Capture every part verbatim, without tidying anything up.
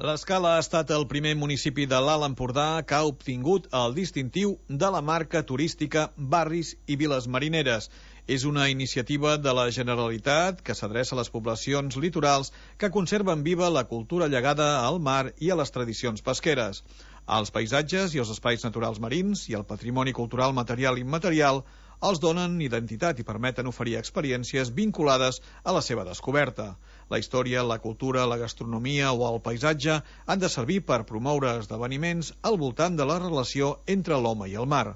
L'Escala ha estat el primer municipi de l'Alt Empordà que ha obtingut el distintiu de la marca turística Barris i Viles Marineres. És una iniciativa de la Generalitat que s'adreça a les poblacions litorals que conserven viva la cultura llegada al mar i a les tradicions pesqueres. Els paisatges i els espais naturals marins i el patrimoni cultural material i immaterial els donen identitat i permeten oferir experiències vinculades a la seva descoberta. La història, la cultura, la gastronomia o el paisatge han de servir per promoure esdeveniments al voltant de la relació entre l'home i el mar.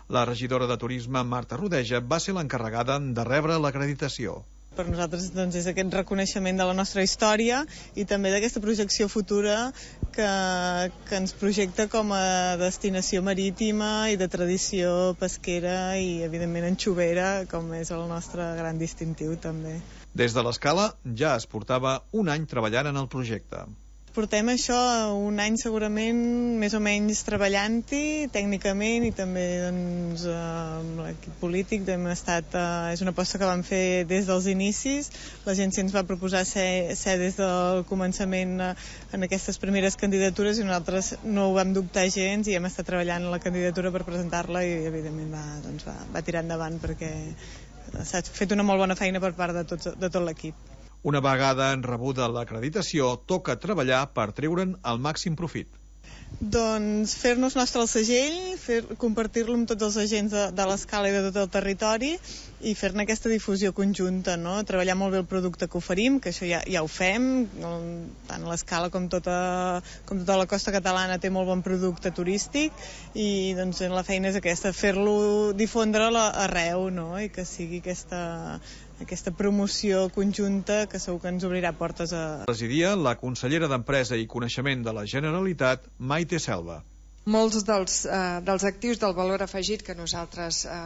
La regidora de Turisme, Marta Rodeja, va ser l'encarregada de rebre l'acreditació. Per nosaltres doncs, és aquest reconeixement de la nostra història i també d'aquesta projecció futura que, que ens projecta com a destinació marítima i de tradició pesquera i, evidentment, anxovera, com és el nostre gran distintiu també. Des de l'Escala ja es portava un any treballant en el projecte. Portem això un any segurament més o menys treballant-hi tècnicament i també doncs, amb l'equip polític hem estat, eh, és una aposta que vam fer des dels inicis. L'agència ens va proposar ser, ser des del començament eh, en aquestes primeres candidatures i nosaltres no ho vam dubtar gens i hem estat treballant en la candidatura per presentar-la i evidentment va, doncs, va, va tirar endavant perquè s'ha fet una molt bona feina per part de tot, de tot l'equip. Una vegada en rebuda l'acreditació, toca treballar per treure'n el màxim profit. Doncs fer-nos nostre el segell, fer, compartir-lo amb tots els agents de, de l'Escala i de tot el territori i fer-ne aquesta difusió conjunta, no? Treballar molt bé el producte que oferim, que això ja, ja ho fem, tant l'Escala com tota, com tota la costa catalana té molt bon producte turístic i doncs la feina és aquesta, fer-lo difondre arreu, no? I que sigui aquesta, aquesta promoció conjunta que segur que ens obrirà portes a... Presidia la consellera d'Empresa i Coneixement de la Generalitat, Maite Selva. Molts dels, eh, dels actius del valor afegit que nosaltres eh,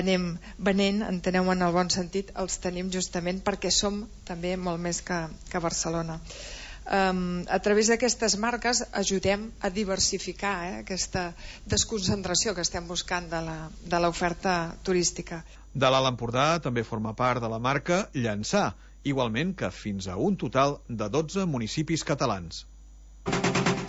anem venent, enteneu en el bon sentit, els tenim justament perquè som també molt més que, que Barcelona. Um, a través d'aquestes marques ajudem a diversificar eh, aquesta desconcentració que estem buscant de l'oferta turística. De l'Alt Empordà també forma part de la marca Llançà, igualment que fins a un total de dotze municipis catalans.